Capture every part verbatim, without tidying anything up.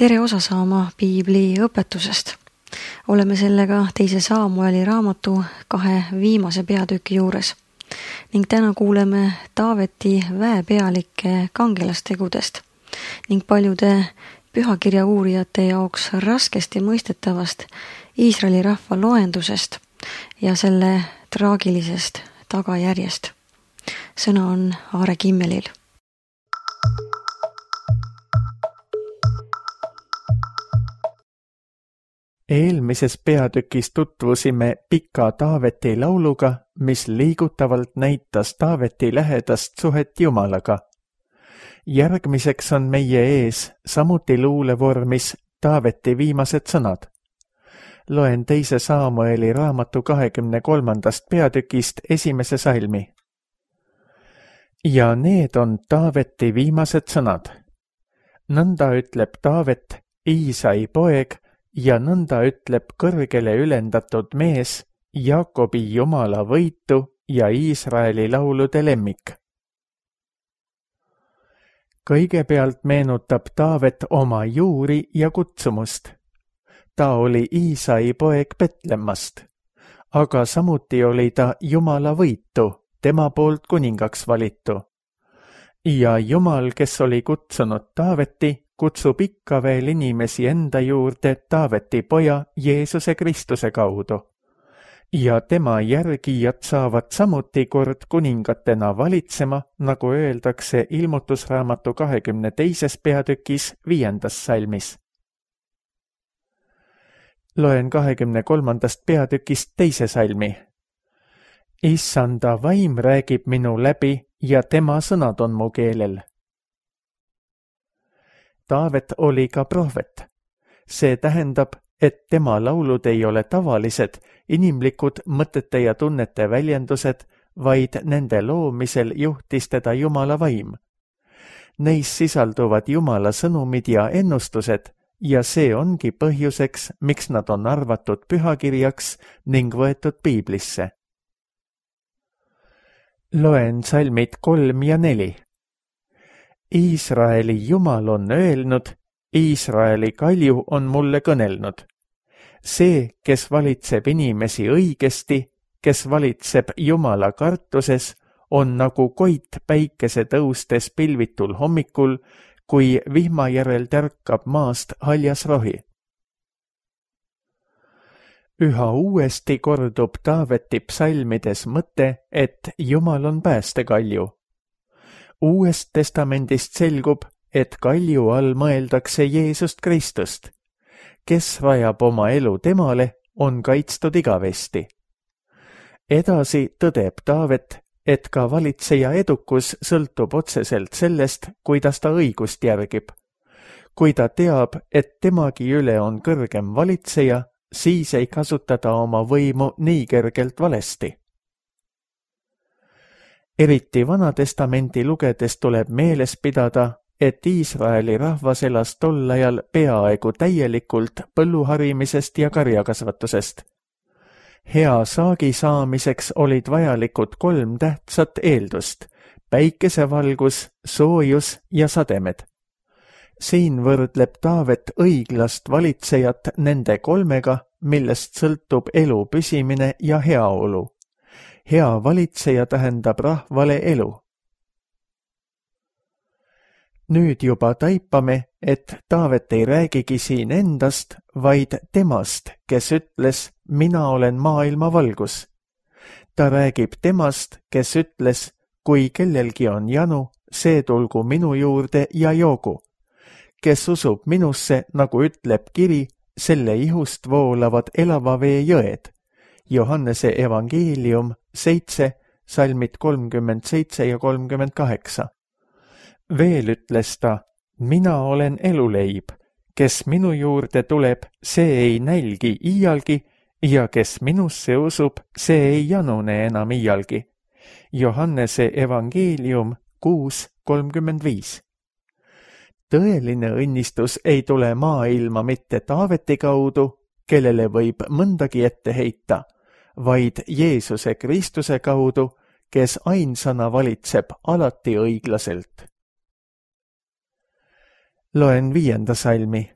tere osa saama piibli õpetusest. Oleme sellega teise Saamueli raamatu kahe viimase peatüki juures ning täna kuuleme Taaveti väepealike kangelastegudest ning paljude pühakirja uurijate jaoks raskesti mõistetavast Iisraeli rahva loendusest ja selle traagilisest tagajärjest. Sõna on Aare Kimmelil. Eelmises peatükis tutvusime pika Taaveti lauluga, mis liigutavalt näitas Taaveti lähedast suhet Jumalaga. Järgmiseks on meie ees samuti luulevormis Taaveti viimased sõnad. Loen teise Saamueli raamatu kahekümne kolmandast peatükist esimese salmi. Ja need on Taaveti viimased sõnad. Nõnda ütleb Taavet, Iisai poeg, ja nõnda ütleb kõrgele ülendatud mees, Jaakobi Jumala võitu ja Iisraeli laulude lemmik. Kõigepealt meenutab Taavet oma juuri ja kutsumust. Ta oli Iisai poeg Betlemmast, aga samuti oli ta Jumala võitu, tema poolt kuningaks valitu. Ja Jumal, kes oli kutsunud Taaveti, kutsub ikka veel inimesi enda juurde Taaveti poja Jeesuse Kristuse kaudu. Ja tema järgijad saavad samuti kord kuningatena valitsema, nagu öeldakse ilmutusraamatu kahekümne teises peatükis viiendas salmis. Loen kahekümne kolmandast peatükist teise salmi. Issanda vaim räägib minu läbi ja tema sõnad on mu keelel. Taavet oli ka prohvet. See tähendab, et tema laulud ei ole tavalised, inimlikud mõtete ja tunnete väljendused, vaid nende loomisel juhtis teda Jumala vaim. Neis sisalduvad Jumala sõnumid ja ennustused ja see ongi põhjuseks, miks nad on arvatud pühakirjaks ning võetud piiblisse. Loen salmid kolm ja neli. Iisraeli Jumal on öelnud, Iisraeli kalju on mulle kõnelnud. See, kes valitseb inimesi õigesti, kes valitseb Jumala kartuses, on nagu koit päikese tõustes pilvitul hommikul, kui vihma järel tärkab maast haljas rohi. Üha uuesti kordub Taaveti psalmides mõte, et Jumal on päästekalju. Uuest testamendist selgub, et kalju all mõeldakse Jeesust Kristust. Kes rajab oma elu temale, on kaitstud igavesti. Edasi tõdeb Taavet, et ka valitseja edukus sõltub otseselt sellest, kuidas ta õigust järgib. Kui ta teab, et temagi üle on kõrgem valitseja, siis ei kasuta ta oma võimu nii kergelt valesti. Eriti Vanatestamenti lugedes tuleb meeles pidada, et Iisraeli rahvas elas tol ajal peaaegu täielikult põlluharimisest ja karjakasvatusest. Hea saagi saamiseks olid vajalikud kolm tähtsat eeldust, päikesevalgus, soojus ja sademed. Siin võrdleb Taavet õiglast valitsejat nende kolmega, millest sõltub elu püsimine ja heaolu. Hea valitseja tähendab rahvale elu. Nüüd juba taipame, et Taavet ei räägigi siin endast, vaid temast, kes ütles, mina olen maailma valgus. Ta räägib temast, kes ütles, kui kellelgi on janu, see tulgu minu juurde ja joogu. Kes usub minusse, nagu ütleb kiri, selle ihust voolavad elava vee jõed. Johannese evangeelium seitse, salmid kolmkümmend seitse ja kolmkümmend kaheksa. Veel ütles ta, mina olen eluleib, kes minu juurde tuleb, see ei nälgi iialgi ja kes minusse usub, see ei janune enam iialgi. Johannese evangeelium kuus, kolmkümmend viis. Tõeline õnnistus ei tule maailma mitte Taaveti kaudu, kellele võib mõndagi ette heita, vaid Jeesuse Kristuse kaudu, kes ainsana valitseb alati õiglaselt. Loen viienda salmi.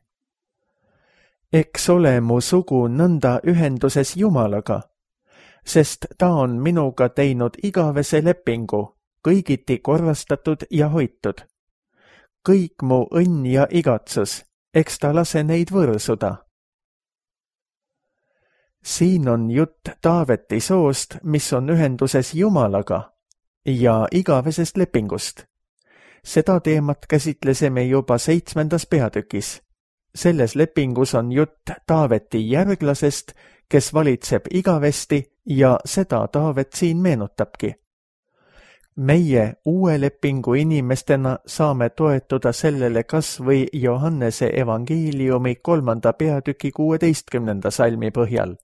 eks ole mu sugu nõnda ühenduses Jumalaga, sest ta on minuga teinud igavese lepingu, kõigiti korrastatud ja hoitud. Kõik mu õnn ja igatsus, eks ta lase neid võõrsuda. Siin on jutt Taaveti soost, mis on ühenduses Jumalaga ja igavesest lepingust. Seda teemat käsitlesime juba seitsmendas peatükis. Selles lepingus on jutt Taaveti järglasest, kes valitseb igavesti ja seda Taavet siin meenutabki. Meie uue lepingu inimestena saame toetuda sellele kas või Johannese evangeeliumi kolmanda peatüki kuueteistkümnenda salmi põhjal.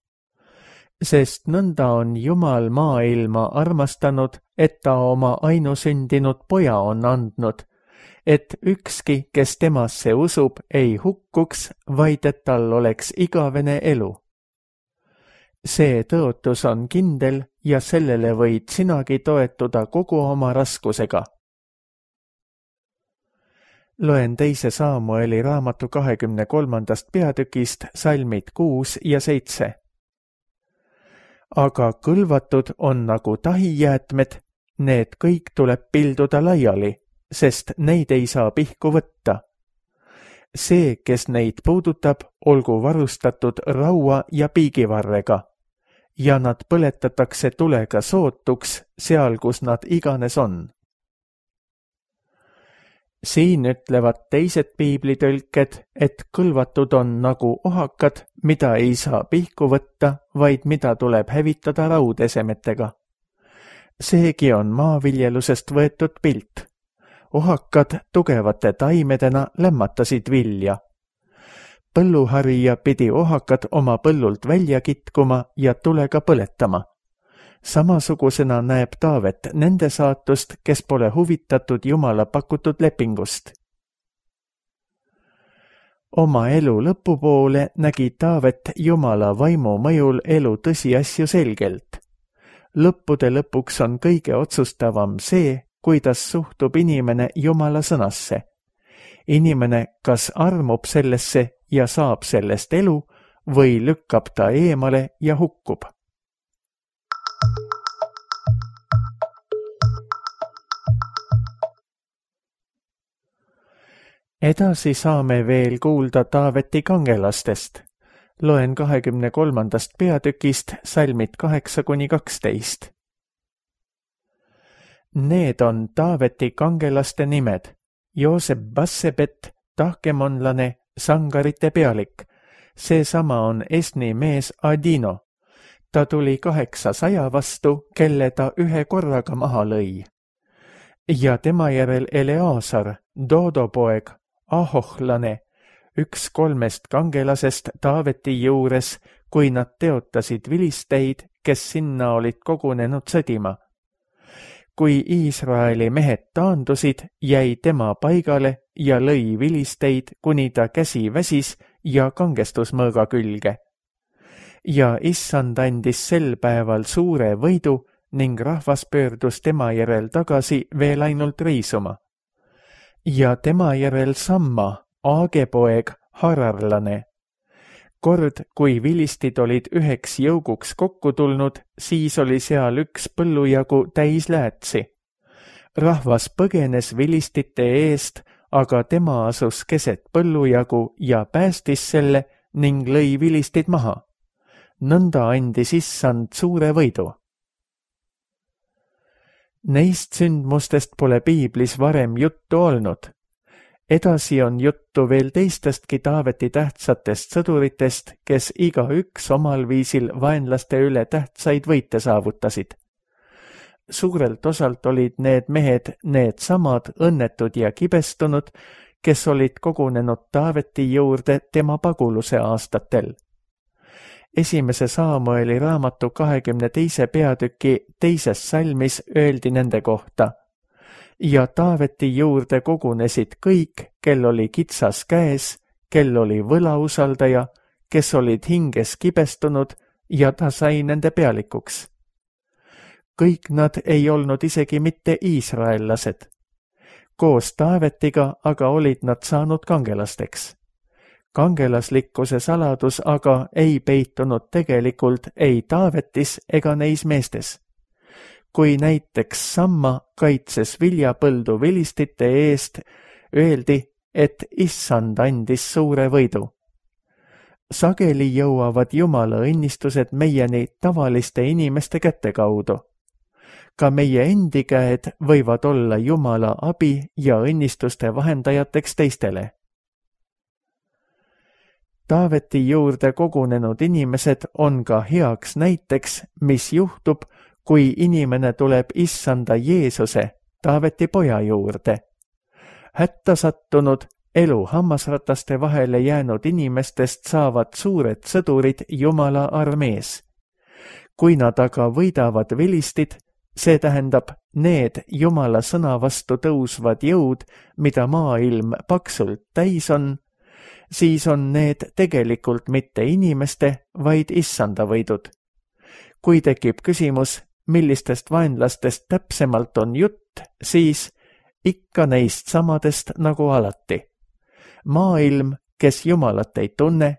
Sest nõnda on Jumal maailma armastanud, et ta oma ainusündinud poja on andnud, et ükski, kes temasse usub, ei hukkuks, vaid et tal oleks igavene elu. See tõotus on kindel ja sellele võid sinagi toetuda kogu oma raskusega. Loen teise Saamueli raamatu kahekümne kolmandast peatükist salmid kuus ja seitse. Aga kõlvatud on nagu tahijäätmed, need kõik tuleb pilduda laiali, sest neid ei saa pihku võtta. See, kes neid puudutab, olgu varustatud raua ja piigivarrega, ja nad põletatakse tulega sootuks seal, kus nad iganes on. Siin ütlevad teised piiblitõlked, et kõlvatud on nagu ohakad, mida ei saa pihku võtta, vaid mida tuleb hävitada raudesemetega. Seegi on maaviljelusest võetud pilt. Ohakad tugevate taimedena lämmatasid vilja. Põlluharija pidi ohakad oma põllult välja kitkuma ja tulega põletama. Samasugusena näeb Taavet nende saatust, kes pole huvitatud Jumala pakutud lepingust. Oma elu lõpupoole nägi Taavet Jumala vaimu mõjul elu tõsiasju selgelt. Lõppude lõpuks on kõige otsustavam see, kuidas suhtub inimene Jumala sõnasse. Inimene kas armub sellesse ja saab sellest elu või lükkab ta eemale ja hukkub. Edasi saame veel kuulda Taaveti kangelastest. Loen kahekümne kolmandast peatükist salmid kaheksa kuni kaksteist. Need on Taaveti kangelaste nimed: Joosep Bassebet, tahkemonlane, sangarite pealik. Seesama on Esni mees Adino. Ta tuli kaheksasaja vastu, kelle ta ühe korraga maha lõi. Ja tema järel Eleasar, Dodo poeg, Ahohlane, üks kolmest kangelasest Taaveti juures, kui nad teotasid vilisteid, kes sinna olid kogunenud sõdima. Kui Iisraeli mehed taandusid, jäi tema paigale ja lõi vilisteid, kuni ta käsi väsis ja kangestus mõõga külge. Ja issand andis sel päeval suure võidu ning rahvas pöördus tema järel tagasi veel ainult riisuma. Ja tema järel Samma, Aage poeg, hararlane. Kord, kui vilistid olid üheks jõuguks kokku tulnud, siis oli seal üks põllujagu täis läätsi. Rahvas põgenes vilistite eest, aga tema asus keset põllujagu ja päästis selle ning lõi vilistid maha. Nõnda andis issand suure võidu. Neist sündmustest pole piiblis varem juttu olnud. Edasi on juttu veel teistestki Taaveti tähtsatest sõduritest, kes igaüks omal viisil vaenlaste üle tähtsaid võite saavutasid. Suurelt osalt olid need mehed needsamad õnnetud ja kibestunud, kes olid kogunenud Taaveti juurde tema paguluse aastatel. Esimese Saamueli raamatu kahekümne teise peatüki teises salmis öeldi nende kohta: ja Taaveti juurde kogunesid kõik, kel oli kitsas käes, kel oli võlausaldaja, kes olid hinges kibestunud ja ta sai nende pealikuks. Kõik nad ei olnud isegi mitte iisraellased. Koos Taavetiga aga olid nad saanud kangelasteks. Kangelaslikkuse saladus aga ei peitunud tegelikult ei Taavetis ega neis meestes. Kui näiteks Samma kaitses viljapõldu vilistite eest, öeldi, et issand andis suure võidu. Sageli jõuavad Jumala õnnistused meieni tavaliste inimeste käte kaudu. Ka meie endi käed võivad olla Jumala abi ja õnnistuste vahendajateks teistele. Taaveti juurde kogunenud inimesed on ka heaks näiteks, mis juhtub, kui inimene tuleb issanda Jeesuse, Taaveti poja juurde. Hätta sattunud, elu hammasrataste vahele jäänud inimestest saavad suured sõdurid Jumala armees. Kui nad aga võidavad vilistid, see tähendab need Jumala sõna vastu tõusvad jõud, mida maailm paksult täis on, siis on need tegelikult mitte inimeste, vaid issanda võidud. Kui tekib küsimus, millistest vaenlastest täpsemalt on jutt, siis ikka neist samadest nagu alati. Maailm, kes Jumalat ei tunne,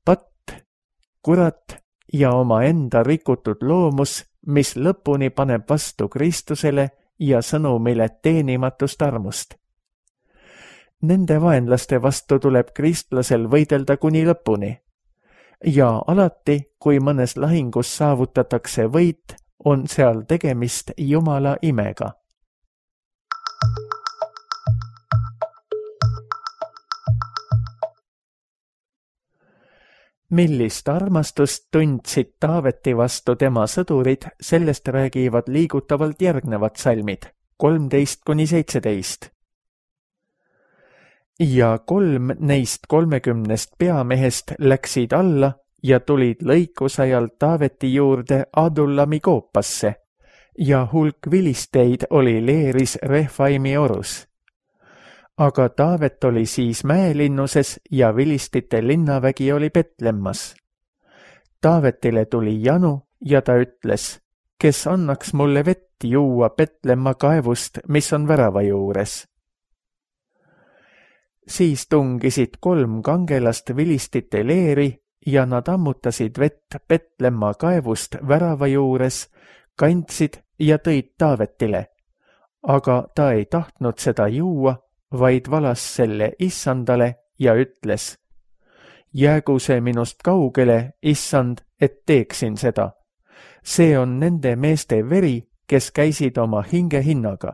patt, kurat ja omaenda rikutud loomus, mis lõpuni paneb vastu Kristusele ja sõnumile teenimatust armust. Nende vaenlaste vastu tuleb kristlasel võidelda kuni lõpuni. Ja alati, kui mõnes lahingus saavutatakse võit, on seal tegemist Jumala imega. Millist armastust tundsid Taaveti vastu tema sõdurid, sellest räägivad liigutavalt järgnevad salmid, kolmteist kuni seitseteist. Ja kolm neist kolmekümnest peamehest läksid alla ja tulid lõikusajal Taaveti juurde Adullami koopasse ja hulk vilisteid oli leeris Refaimi orus. Aga Taavet oli siis mäelinnuses ja vilistite linnavägi oli Petlemmas. Taavetile tuli janu ja ta ütles, kes annaks mulle vett juua Petlemma kaevust, mis on värava juures. Siis tungisid kolm kangelast vilistite leeri ja nad ammutasid vett Petlemma kaevust värava juures, kandsid ja tõid Taavetile, aga ta ei tahtnud seda juua, vaid valas selle issandale ja ütles, jäägu see minust kaugele, issand, et teeksin seda. See on nende meeste veri, kes käisid oma hinge hinnaga.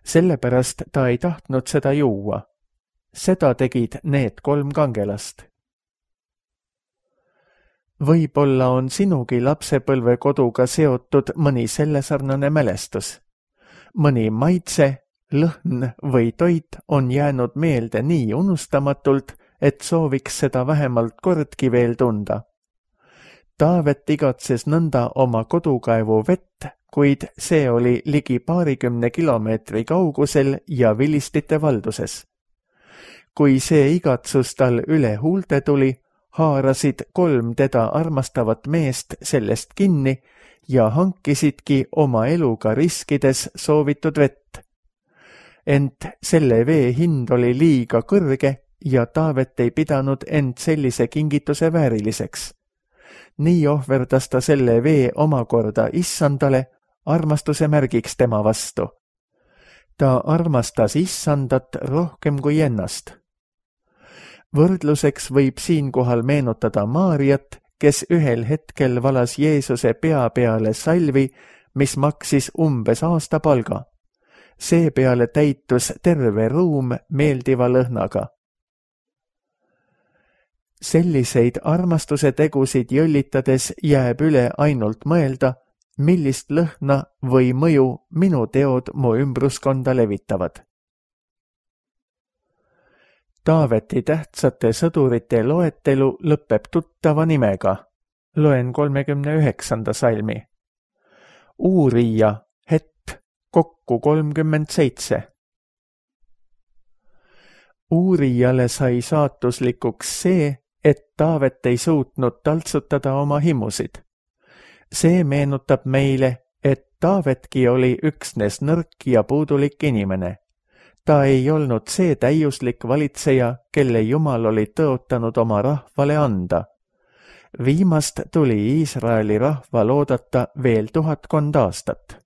Sellepärast ta ei tahtnud seda juua. Seda tegid need kolm kangelast. Võib-olla on sinugi lapsepõlvekoduga seotud mõni sellesarnane mälestus. Mõni maitse, lõhn või toit on jäänud meelde nii unustamatult, et sooviks seda vähemalt kordki veel tunda. Taavet igatses nõnda oma kodukaevu vett, kuid see oli ligi paarikümne kilomeetri kaugusel ja vilistite valduses. Kui see igatsus tal üle huulte tuli, haarasid kolm teda armastavat meest sellest kinni ja hankisidki oma eluga riskides soovitud vett. Ent selle vee hind oli liiga kõrge ja Taavet ei pidanud end sellise kingituse vääriliseks. Nii ohverdas ta selle vee omakorda issandale, armastuse märgiks tema vastu. Ta armastas issandat rohkem kui ennast. Võrdluseks võib siinkohal meenutada Maariat, kes ühel hetkel valas Jeesuse pea peale salvi, mis maksis umbes aasta palga. Seepeale täitus terve ruum meeldiva lõhnaga. Selliseid armastuse tegusid jõllitades jääb üle ainult mõelda, millist lõhna või mõju minu teod mu ümbruskonda levitavad. Taaveti tähtsate sõdurite loetelu lõpeb tuttava nimega. Loen kolmekümne üheksanda salmi. Uurija, Het, kokku kolmkümmend seitse. Uurijale sai saatuslikuks see, et Taavet ei suutnud taltsutada oma himusid. See meenutab meile, et Taavetki oli üksnes nõrk ja puudulik inimene. Ta ei olnud see täiuslik valitseja, kelle Jumal oli tõotanud oma rahvale anda. Viimast tuli Iisraeli rahval oodata veel tuhatkond aastat.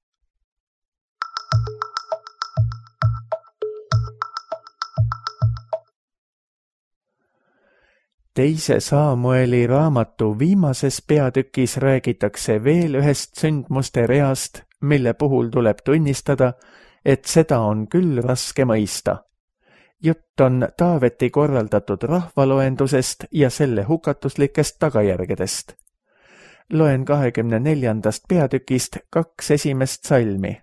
Teise Saamueli raamatu viimases peatükis räägitakse veel ühest sündmuste reast, mille puhul tuleb tunnistada, et seda on küll raske mõista. Jutt on Taaveti korraldatud rahvaloendusest ja selle hukatuslikest tagajärgedest. Loen kahekümne neljandast peatükist kaks esimest salmi.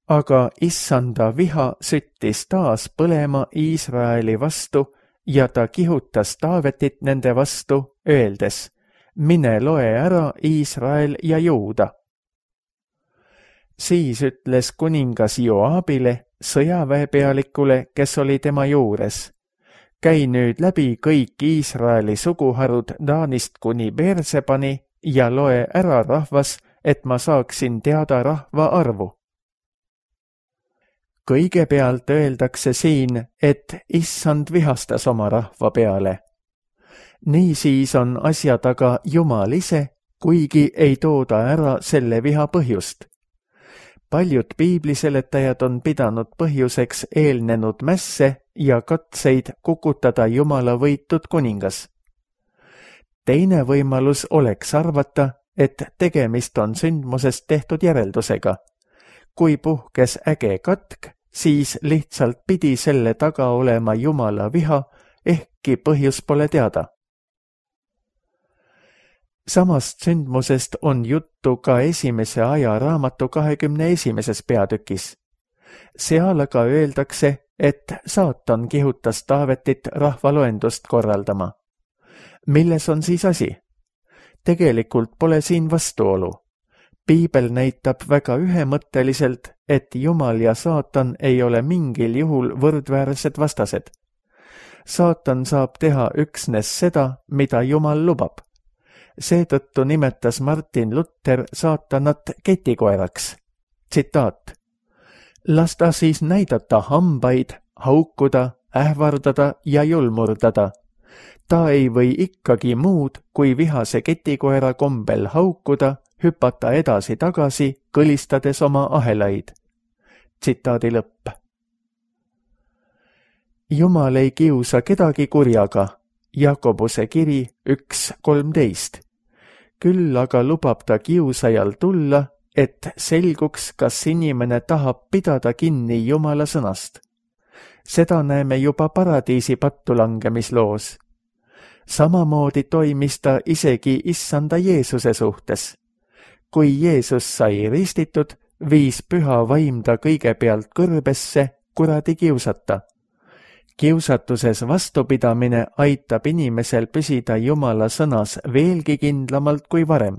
Aga issanda viha süttis taas põlema Iisraeli vastu ja ta kihutas Taavetit nende vastu, öeldes, mine loe ära Iisrael ja Juuda. Siis ütles kuningas Joabile, sõjaväepealikule, kes oli tema juures. Käi nüüd läbi kõik Iisraeli suguharud Taanist kuni Beersebani ja loe ära rahvas, et ma saaksin teada rahva arvu. Kõigepealt öeldakse siin, et issand vihastas oma rahva peale. Niisiis on asja taga Jumal ise, kuigi ei tooda ära selle viha põhjust. Paljud piibliseletajad on pidanud põhjuseks eelnenud mässe ja katseid kukutada Jumala võitud kuningas. Teine võimalus oleks arvata, et tegemist on sündmusest tehtud järeldusega. Kui puhkes äge katk, siis lihtsalt pidi selle taga olema Jumala viha, ehkki põhjus pole teada. Samast sündmusest on juttu ka esimese aja raamatu kahekümne esimeses peatükis. Seal aga öeldakse, et saatan kihutas Taavetit rahvaloendust korraldama. Milles on siis asi? Tegelikult pole siin vastuolu. Piibel näitab väga ühemõtteliselt, et Jumal ja saatan ei ole mingil juhul võrdväärsed vastased. Saatan saab teha üksnes seda, mida Jumal lubab. Seetõttu nimetas Martin Luther saatanat ketikoeraks. Tsitaat. Las ta siis näidata hambaid, haukuda, ähvardada ja julmurdada. Ta ei või ikkagi muud, kui vihase ketikoera kombel haukuda, hüpata edasi-tagasi, kõlistades oma ahelaid. Tsitaadi lõpp. Jumal ei kiusa kedagi kurjaga. Jakobuse kiri üks kolmteist. Küll aga lubab ta kiusajal tulla, et selguks, kas inimene tahab pidada kinni Jumala sõnast. Seda näeme juba paradiisi pattulangemisloos. Samamoodi toimis ta isegi issanda Jeesuse suhtes. Kui Jeesus sai ristitud, viis püha vaim ta kõigepealt kõrbesse kuradi kiusata. Kiusatuses vastupidamine aitab inimesel püsida Jumala sõnas veelgi kindlamalt kui varem.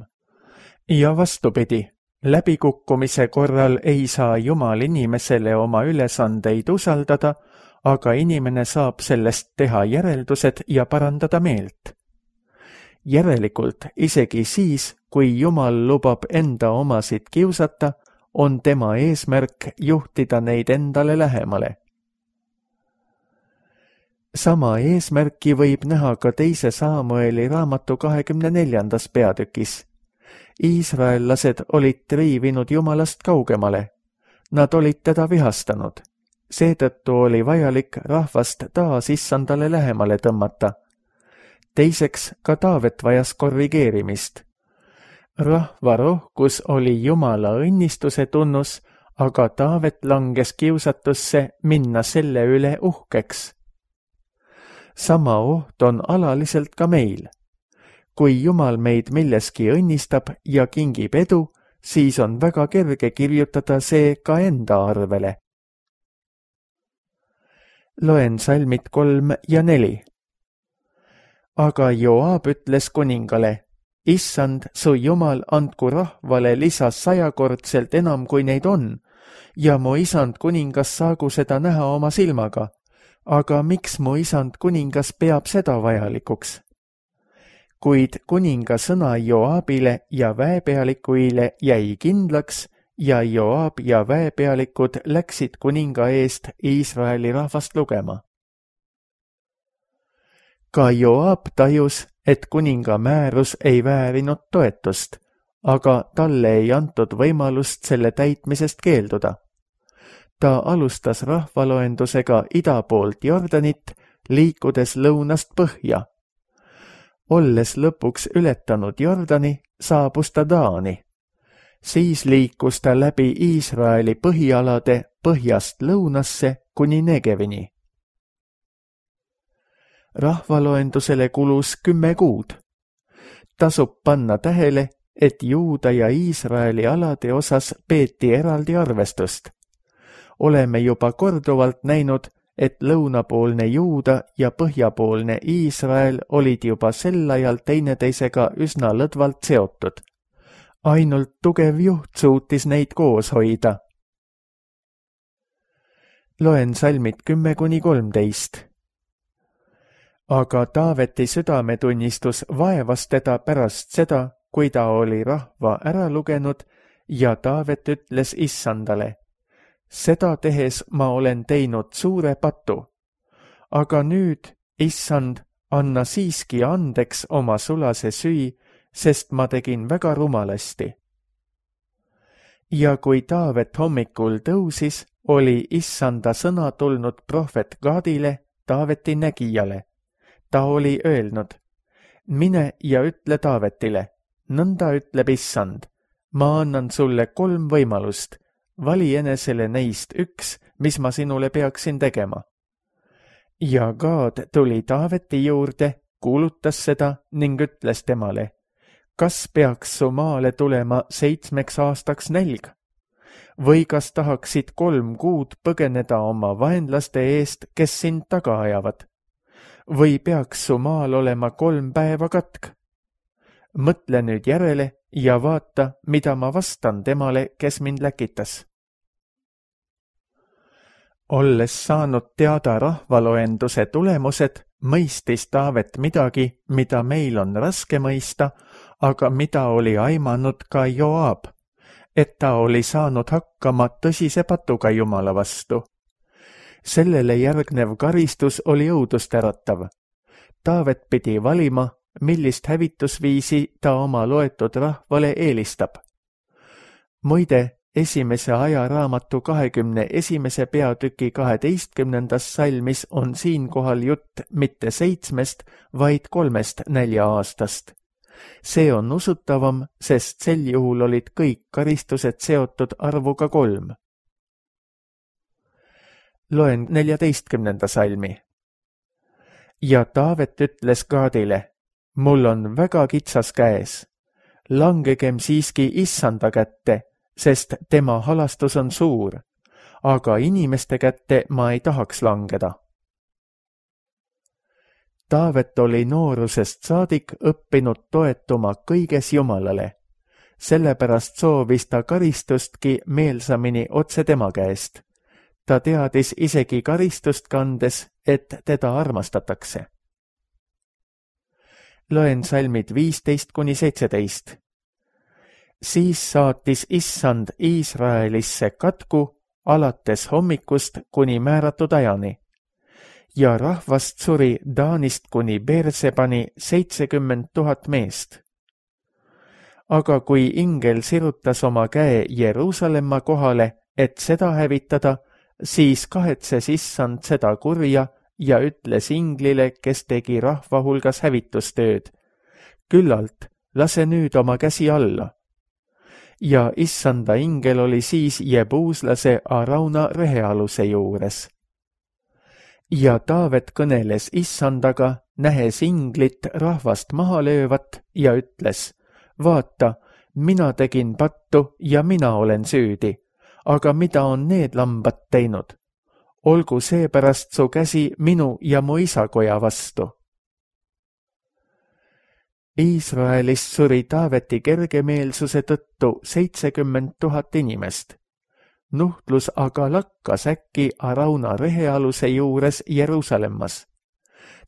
Ja vastupidi, läbikukkumise korral ei saa Jumal inimesele oma ülesandeid usaldada, aga inimene saab sellest teha järeldused ja parandada meelt. Järelikult, isegi siis, kui Jumal lubab enda omasid kiusata, on tema eesmärk juhtida neid endale lähemale. Sama eesmärki võib näha ka teise Saamueli raamatu kahekümne neljandas peatükis. Iisraellased olid triivinud Jumalast kaugemale. Nad olid teda vihastanud. Seetõttu oli vajalik rahvast taas issandale lähemale tõmmata. Teiseks, ka Taavet vajas korrigeerimist. Rahva rohkus oli Jumala õnnistuse tunnus, aga Taavet langes kiusatusse minna selle üle uhkeks. Sama oht on alaliselt ka meil. Kui Jumal meid milleski õnnistab ja kingib edu, siis on väga kerge kirjutada see ka enda arvele. Loen salmid kolm ja neli. Aga Joab ütles kuningale, issand, su Jumal andku rahvale lisas sajakordselt enam kui neid on, ja mu isand kuningas saagu seda näha oma silmaga. Aga miks mu isand kuningas peab seda vajalikuks? Kuid kuninga sõna Joabile ja väepealikuile jäi kindlaks ja Joab ja väepealikud läksid kuninga eest Iisraeli rahvast lugema. Ka Joab tajus, et kuninga määrus ei väärinud toetust, aga talle ei antud võimalust selle täitmisest keelduda. Ta alustas rahvaloendusega ida poolt Jordanit, liikudes lõunast põhja. Olles lõpuks ületanud Jordani, saabus ta Taani. Siis liikus ta läbi Iisraeli põhialade põhjast lõunasse kuni Negevini. Rahvaloendusele kulus kümme kuud. Tasub panna tähele, et Juuda ja Iisraeli alade osas peeti eraldi arvestust. Oleme juba korduvalt näinud, et lõunapoolne Juuda ja põhjapoolne Iisrael olid juba sel ajal teineteisega üsna lõdvalt seotud. Ainult tugev juht suutis neid koos hoida. Loen salmid kümme kuni kolmteist. Aga Taaveti südametunnistus vaevas teda pärast seda, kui ta oli rahva ära lugenud ja Taavet ütles Issandale: seda tehes ma olen teinud suure patu. Aga nüüd, Issand, anna siiski andeks oma sulase süü, sest ma tegin väga rumalasti. Ja kui Taavet hommikul tõusis, oli Issanda sõna tulnud prohvet Gadile, Taaveti nägijale. Ta oli öelnud: mine ja ütle Taavetile, nõnda ütleb Issand, ma annan sulle kolm võimalust. Vali enesele neist üks, mis ma sinule peaksin tegema. Ja Gad tuli Taaveti juurde, kuulutas seda ning ütles temale: kas peaks su maale tulema seitsmeks aastaks nälg? Või kas tahaksid kolm kuud põgeneda oma vaenlaste eest, kes sind taga ajavad? Või peaks su maal olema kolm päeva katk? Mõtle nüüd järele ja vaata, mida ma vastan temale, kes mind läkitas. Olles saanud teada rahvaloenduse tulemused, mõistis Taavet midagi, mida meil on raske mõista, aga mida oli aimanud ka Joab, et ta oli saanud hakkama tõsise patuga Jumala vastu. Sellele järgnev karistus oli õudust äratav. Taavet pidi valima, millist hävitusviisi ta oma loetud rahvale eelistab. Muide, esimese ajaraamatu kahekümne esimese peatüki kaheteistkümnendas salmis on siinkohal jutt mitte seitsmest, vaid kolmest nälja aastast. See on usutavam, sest sel juhul olid kõik karistused seotud arvuga kolm. Loen neljateistkümnenda salmi. Ja Taavet ütles Gadile: mul on väga kitsas käes. Langegem siiski Issanda kätte, sest tema halastus on suur, aga inimeste kätte ma ei tahaks langeda. Taavet oli noorusest saadik õppinud toetuma kõiges Jumalale. Sellepärast soovis ta karistustki meelsamini otse tema käest. Ta teadis isegi karistust kandes, et teda armastatakse. Loen salmid viisteist kuni seitseteist. Siis saatis Issand Iisraelisse katku alates hommikust kuni määratud ajani. Ja rahvast suri Taanist kuni Beersebani seitsekümmend tuhat meest. Aga kui ingel sirutas oma käe Jeruusalemma kohale, et seda hävitada, siis kahetses Issand seda kurja ja ütles inglile, kes tegi rahva hulgas hävitustööd: küllalt, lase nüüd oma käsi alla. Ja Issanda ingel oli siis jebuuslase Arauna rehealuse juures. Ja Taavet kõneles Issandaga, nähes inglit rahvast maha löövat ja ütles: vaata, mina tegin pattu ja mina olen süüdi, aga mida on need lambad teinud? Olgu seepärast su käsi minu ja mu isakoja vastu. Iisraelist suri Taaveti kergemeelsuse tõttu seitsekümmend tuhat inimest. Nuhtlus aga lakkas äkki Arauna rehealuse juures Jeruusalemmas.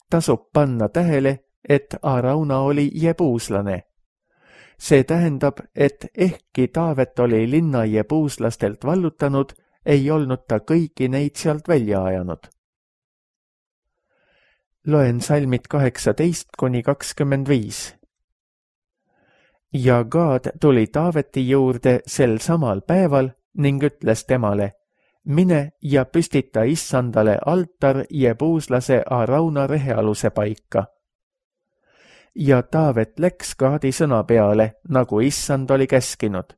Tasub panna tähele, et Arauna oli jebuuslane. see tähendab, et ehkki Taavet oli linna jebuuslastelt vallutanud, ei olnud ta kõiki neid sealt välja ajanud. Loen salmid kaheksateist kuni kakskümmend viis. Ja Gaad tuli Taaveti juurde sel samal päeval ning ütles temale, mine ja püstita issandale altar jebuuslase Arauna rehealuse paika. Ja Taavet läks Gaadi sõna peale, nagu issand oli käskinud.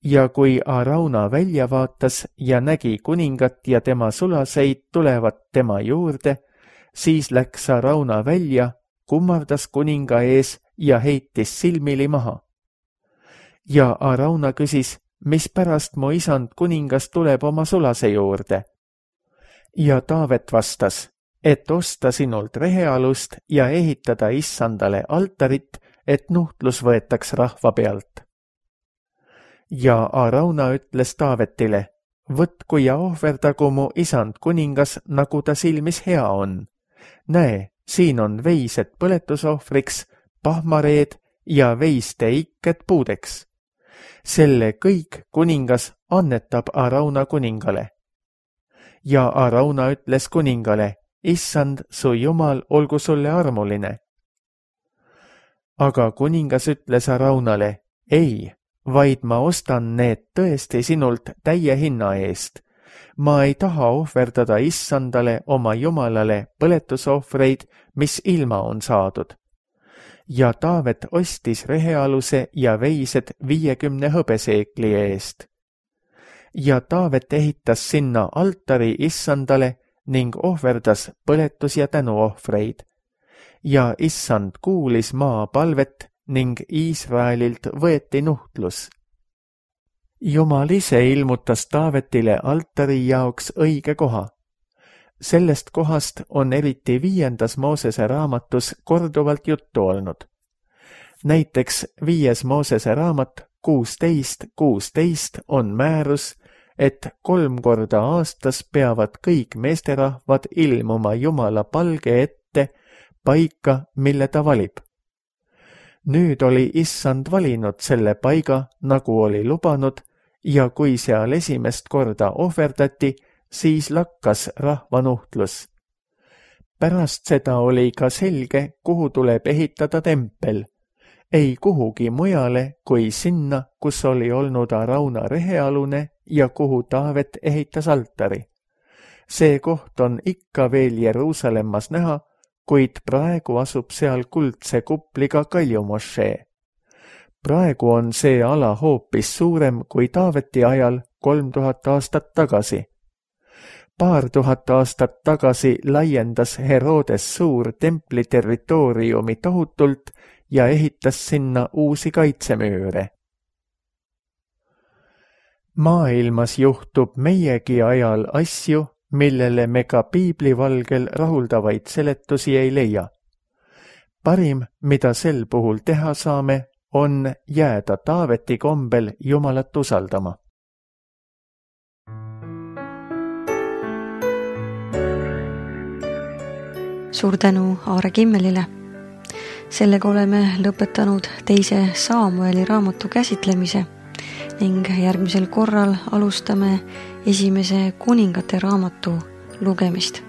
Ja kui Arauna välja vaatas ja nägi kuningat ja tema sulaseid tulevat tema juurde, siis läks Arauna välja, kummardas kuninga ees ja heitis silmili maha. Ja Arauna küsis, mispärast mu isand kuningas tuleb oma sulase juurde? Ja Taavet vastas, et osta sinult rehealust ja ehitada issandale altarit, et nuhtlus võetaks rahva pealt. Ja Arauna ütles Taavetile, võtku ja ohverdagu mu isand kuningas, nagu ta silmis hea on. Näe, siin on veised põletusohvriks, pahmareed ja veiste ikked puudeks. Selle kõik kuningas annetab Arauna kuningale. Ja Arauna ütles kuningale, issand, su jumal olgu sulle armuline. Aga kuningas ütles Araunale, ei, vaid ma ostan need tõesti sinult täie hinna eest. Ma ei taha ohverdada issandale oma jumalale põletusohvreid, mis ilma on saadud. Ja Taavet ostis rehealuse ja veised viiekümne hõbeseekli eest. Ja Taavet ehitas sinna altari issandale ning ohverdas põletus- ja tänuohvreid. Ja issand kuulis maa palvet ning Iisraelilt võeti nuhtlus. Jumal ise ilmutas Taavetile altari jaoks õige koha. Sellest kohast on eriti viiendas Moosese raamatus korduvalt juttu olnud. Näiteks viies Moosese raamat kuusteist kuusteist on määrus, et kolm korda aastas peavad kõik meesterahvad ilmuma Jumala palge ette paika, mille ta valib. Nüüd oli issand valinud selle paiga, nagu oli lubanud, ja kui seal esimest korda ohverdati, siis lakkas rahvanuhtlus. Pärast seda oli ka selge, kuhu tuleb ehitada tempel. Ei kuhugi mujale kui sinna, kus oli olnud Arauna rehealune ja kuhu Taavet ehitas altari. See koht on ikka veel Jeruusalemmas näha, kuid praegu asub seal kuldse kupliga kaljumošee. Praegu on see ala hoopis suurem kui Taaveti ajal kolm tuhat aastat tagasi. Paar tuhat aastat tagasi laiendas Herodes suur templi territooriumi tohutult ja ehitas sinna uusi kaitsemüüre. Maailmas juhtub meiegi ajal asju, millele me ka piiblivalgel rahuldavaid seletusi ei leia. Parim, mida sel puhul teha saame, on jääda Taaveti kombel Jumalat usaldama. Suur tänu Aare Kimmelile. Sellega oleme lõpetanud teise Saamueli raamatu käsitlemise ning järgmisel korral alustame esimese kuningate raamatu lugemist.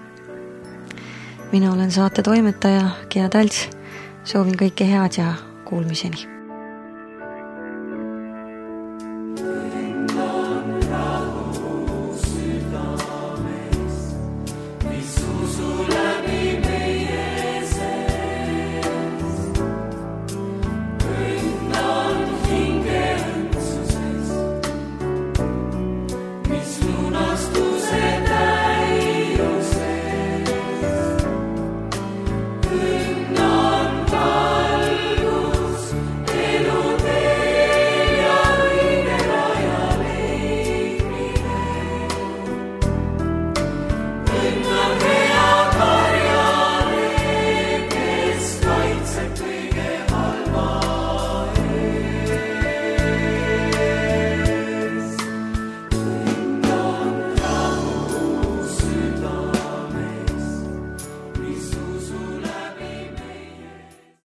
Mina olen saate toimetaja Gea Talts. Soovin kõike head ja kuulmiseni.